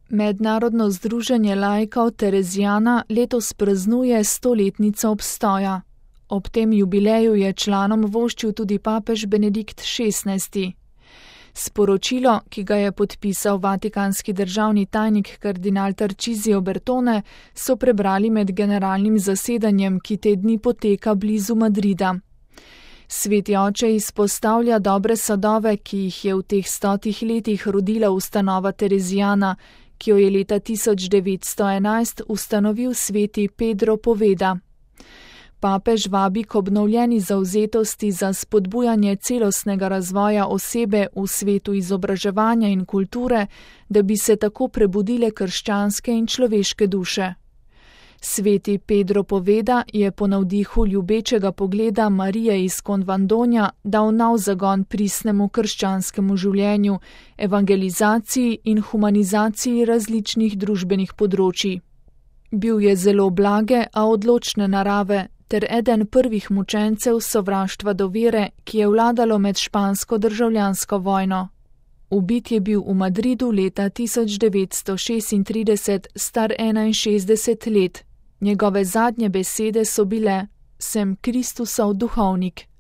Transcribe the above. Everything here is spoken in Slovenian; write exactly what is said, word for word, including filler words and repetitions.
Mednarodno združenje laikov Terezijana letos praznuje stoletnico obstoja. Ob tem jubileju je članom voščil tudi papež Benedikt šestnajsti. Sporočilo, ki ga je podpisal vatikanski državni tajnik kardinal Tarcisio Bertone, so prebrali med generalnim zasedanjem, ki te dni poteka blizu Madrida. Sveti oče izpostavlja dobre sadove, ki jih je v teh stotih letih rodila ustanova Terezijana, ki jo je leta tisoč devetsto enajst ustanovil sveti Pedro Poveda. Papež vabi k obnovljeni zavzetosti za spodbujanje celostnega razvoja osebe v svetu izobraževanja in kulture, da bi se tako prebudile krščanske in človeške duše. Sveti Pedro Poveda je po navdihu ljubečega pogleda Marije iz Konvandonja dal nov zagon pristnemu krščanskemu življenju, evangelizaciji in humanizaciji različnih družbenih področij. Bil je zelo blage, a odločne narave, ter eden prvih mučencev sovraštva do vere, ki je vladalo med špansko državljansko vojno. Ubit je bil v Madridu leta tisoč devetsto šestintrideset, star enainšestdeset let. Njegove zadnje besede so bile: "Sem Kristusov duhovnik."